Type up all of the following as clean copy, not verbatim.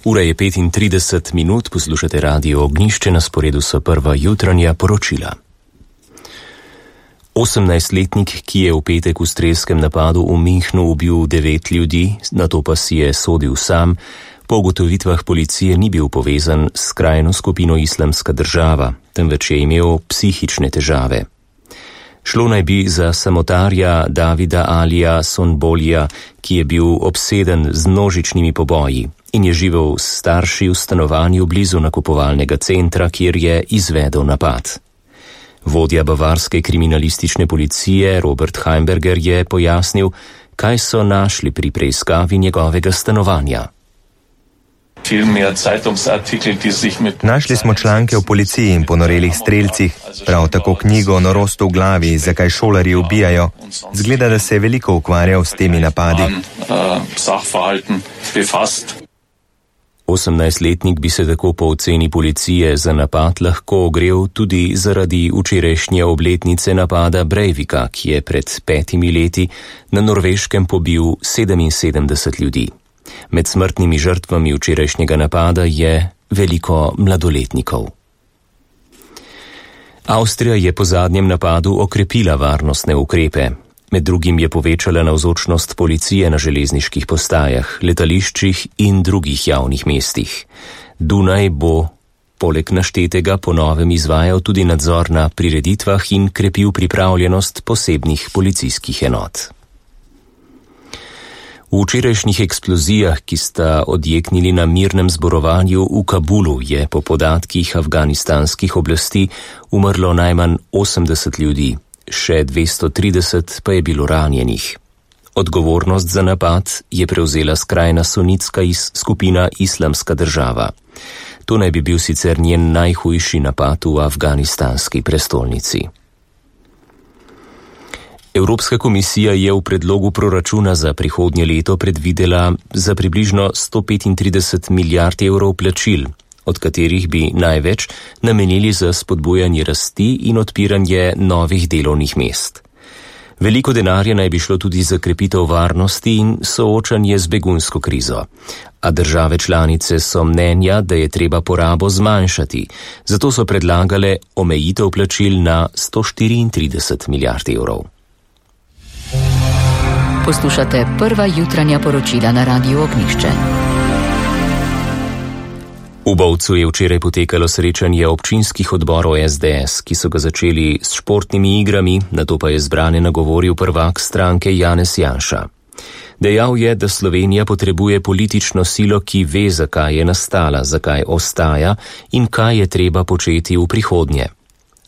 Ura je 35 minut, poslušate Radio Ognjišče, na sporedu so prva jutranja poročila. 18-letnik, ki je v petek v strelskem napadu v Münchnu ubil 9 ljudi, nato pa si je sodil sam, po ugotovitvah policije ni bil povezan s skrajno skupino Islamska država, temveč je imel psihične težave. Šlo naj bi za samotarja Davida Alija Sonbolija, ki je bil obseden z množičnimi poboji in je živel s starši v stanovanju blizu nakupovalnega centra, kjer je izvedel napad. Vodja bavarske kriminalistične policije Robert Heimberger je pojasnil, kaj so našli pri preiskavi njegovega stanovanja. Našli smo članke o policiji in ponorelih strelcih, prav tako knjigo o norostu v glavi, zakaj šolarji ubijajo. Zgleda, da se je veliko ukvarjal s temi napadi. 18-letnik bi se tako po oceni policije za napad lahko ogrel tudi zaradi včerajšnje obletnice napada Breivika, ki je pred 5 leti na Norveškem pobil 77 ljudi. Med smrtnimi žrtvami včerajšnjega napada je veliko mladoletnikov. Avstrija je po zadnjem napadu okrepila varnostne ukrepe. Med drugim je povečala navzočnost policije na železniških postajah, letališčih in drugih javnih mestih. Dunaj bo poleg naštetega po novem izvajal tudi nadzor na prireditvah in krepil pripravljenost posebnih policijskih enot. V včerajšnjih eksplozijah, ki sta odjeknili na mirnem zborovanju v Kabulu, je po podatkih afganistanskih oblasti umrlo najmanj 80 ljudi, še 230 pa je bilo ranjenih. Odgovornost za napad je prevzela skrajna sunitska skupina Islamska država. To naj bi bil sicer njen najhujši napad v afganistanski prestolnici. Evropska komisija je v predlogu proračuna za prihodnje leto predvidela za približno 135 milijard evrov plačil, od katerih bi največ namenili za spodbujanje rasti in odpiranje novih delovnih mest. Veliko denarja naj bi šlo tudi za krepitev varnosti in soočanje z begunsko krizo, a države članice so mnenja, da je treba porabo zmanjšati, zato so predlagale omejitev plačil na 134 milijard evrov. Poslušate prva jutranja poročila na Radiu Ognjišče. V Bovcu je včeraj potekalo srečanje občinskih odborov SDS, ki so ga začeli s športnimi igrami, nato pa je zbrane nagovoril prvak stranke Janez Janša. Dejal je, da Slovenija potrebuje politično silo, ki ve, zakaj je nastala, zakaj ostaja in kaj je treba početi v prihodnje.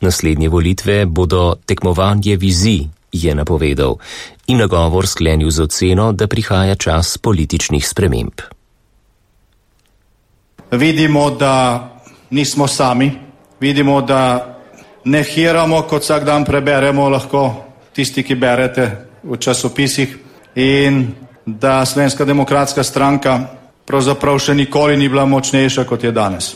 Naslednje volitve bodo tekmovanje vizij, je napovedal, in nagovor sklenil z oceno, da prihaja čas političnih sprememb. Vidimo, da nismo sami, vidimo, da ne hiramo, kot vsak dan preberemo lahko tisti, ki berete v časopisih, in da Slovenska demokratska stranka pravzaprav še nikoli ni bila močnejša, kot je danes.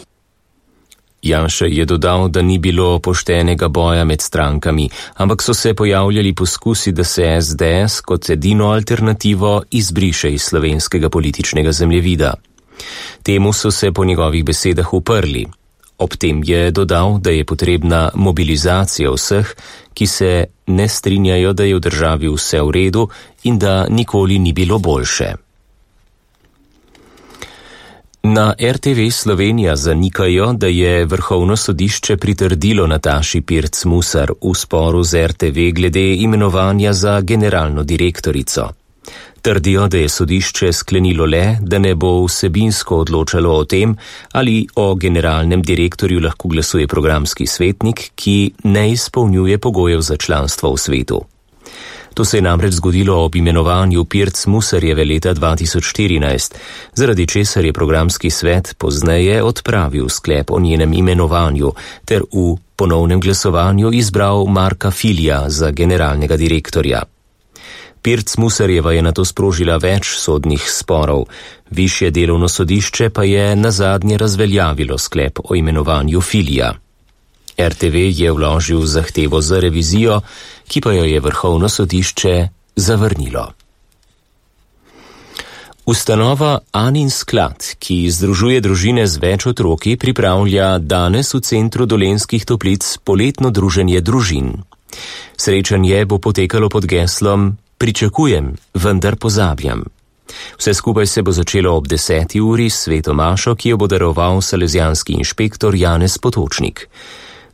Janša je dodal, da ni bilo poštenega boja med strankami, ampak so se pojavljali poskusi, da se SDS kot edino alternativo izbriše iz slovenskega političnega zemljevida. Temu so se po njegovih besedah uprli. Ob tem je dodal, da je potrebna mobilizacija vseh, ki se ne strinjajo, da je v državi vse v redu in da nikoli ni bilo boljše. Na RTV Slovenija zanikajo, da je Vrhovno sodišče pritrdilo Nataši Pirc Musar v sporu z RTV glede imenovanja za generalno direktorico. Trdijo, da je sodišče sklenilo le, da ne bo vsebinsko odločalo o tem, ali o generalnem direktorju lahko glasuje programski svetnik, ki ne izpolnjuje pogojev za članstvo v svetu. To se je namreč zgodilo ob imenovanju Pirc Musarjeve leta 2014, zaradi česar je programski svet pozneje odpravil sklep o njenem imenovanju ter v ponovnem glasovanju izbral Marka Filija za generalnega direktorja. Pirc Musarjeva je nato sprožila več sodnih sporov, višje delovno sodišče pa je nazadnje razveljavilo sklep o imenovanju Filija. RTV je vložil zahtevo za revizijo, ki pa jo je Vrhovno sodišče zavrnilo. Ustanova Anin sklad, ki združuje družine z več otroki, pripravlja danes v centru Dolenjskih Toplic poletno druženje družin. Srečanje bo potekalo pod geslom Pričakujem, vendar pozabljam. Vse skupaj se bo začelo ob 10. uri s sveto mašo, ki jo bo daroval salezijanski inšpektor Janez Potočnik.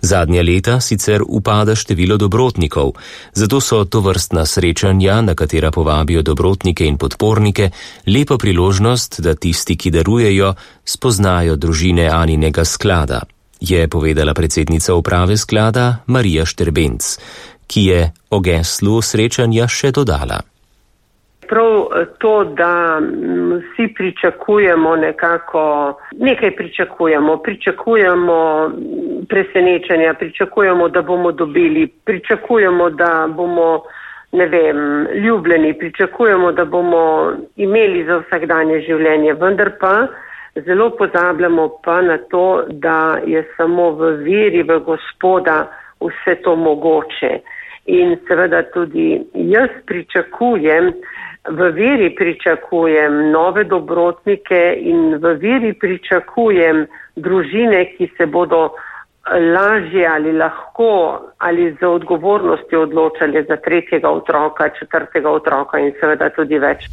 Zadnja leta sicer upada število dobrotnikov, zato so tovrstna srečanja, na katera povabijo dobrotnike in podpornike, lepa priložnost, da tisti, ki darujejo, spoznajo družine Aninega sklada, je povedala predsednica uprave sklada Marija Šterbenc, ki je o geslu srečanja še dodala. Prav to, da vsi pričakujemo nekaj pričakujemo presenečenja, pričakujemo, da bomo dobili, pričakujemo, da bomo, ljubljeni, pričakujemo, da bomo imeli za vsakdanje življenje, vendar pa zelo pozabljamo pa na to, da je samo v veri v Gospoda vse to mogoče. In seveda tudi jaz v veri pričakujem nove dobrotnike in v veri pričakujem družine, ki se bodo lažje ali lahko ali z odgovornostjo odločali za 3. otroka, 4. otroka in seveda tudi več.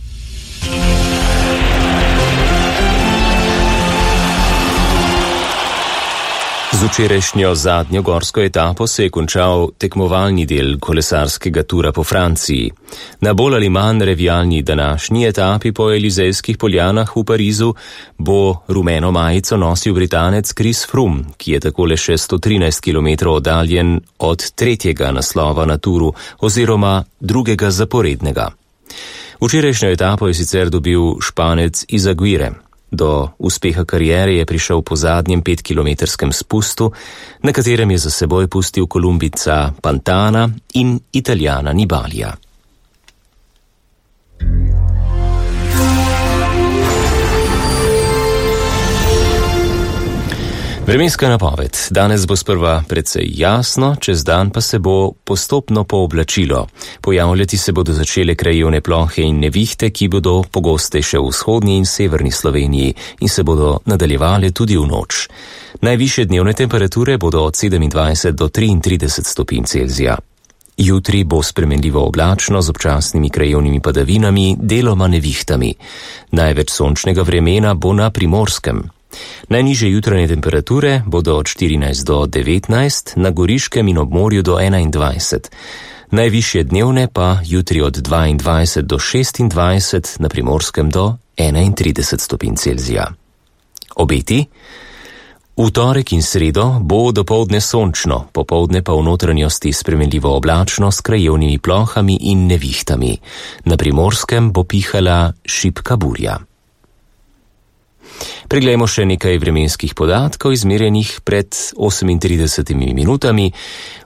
Z včerajšnjo zadnjo gorsko etapo se je končal tekmovalni del kolesarskega tura po Franciji. Na bolj ali manj revijalni današnji etapi po Elizejskih poljanah v Parizu bo rumeno majico nosil Britanec Chris Froome, ki je takole še 113 km oddaljen od 3. naslova na turu oziroma 2. zaporednega. Včerajšnjo etapo je sicer dobil Španec Izaguirre. Do uspeha kariere je prišel po zadnjem 5-kilometrskem spustu, na katerem je za seboj pustil Kolumbica Pantana in Italijana Nibalija. Vremenska napoved. Danes bo sprva precej jasno, čez dan pa se bo postopno pooblačilo. Pojavljati se bodo začele krajevne plohe in nevihte, ki bodo pogostejše v vzhodni in severni Sloveniji in se bodo nadaljevale tudi v noč. Najvišje dnevne temperature bodo od 27 do 33 stopinj Celzija. Jutri bo spremenljivo oblačno z občasnimi krajevnimi padavinami, deloma nevihtami. Največ sončnega vremena bo na Primorskem. Najnižje jutranje temperature bodo od 14 do 19, na Goriškem in ob morju do 21. Najvišje dnevne pa jutri od 22 do 26, na Primorskem do 31 stopinj Celzija. Obeti? V torek in sredo bo dopoldne sončno, popoldne pa v notranjosti spremenljivo oblačno s krajevnimi plohami in nevihtami. Na Primorskem bo pihala šibka burja. Preglejmo še nekaj vremenskih podatkov, izmerjenih pred 38 minutami.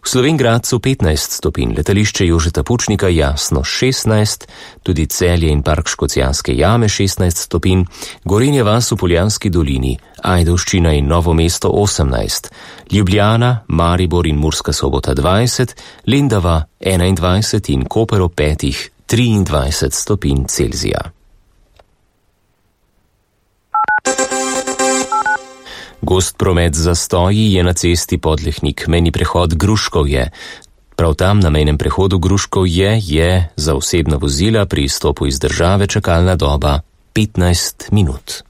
V Slovenj Gradcu 15 stopinj, letališče Jožeta Pučnika jasno 16, tudi Celje in park Škocjanske jame 16 stopinj, Gorenja vas v Poljanski dolini, Ajdovščina in Novo mesto 18, Ljubljana, Maribor in Murska Sobota 20, Lendava 21 in Koper ob 5 23 stopinj Celzija. Gost promet zastoji je na cesti Podlehnik, mejni prehod Gruškovje. Prav tam na mejnem prehodu Gruškovje je za osebna vozila pri izstopu iz države čakalna doba 15 minut.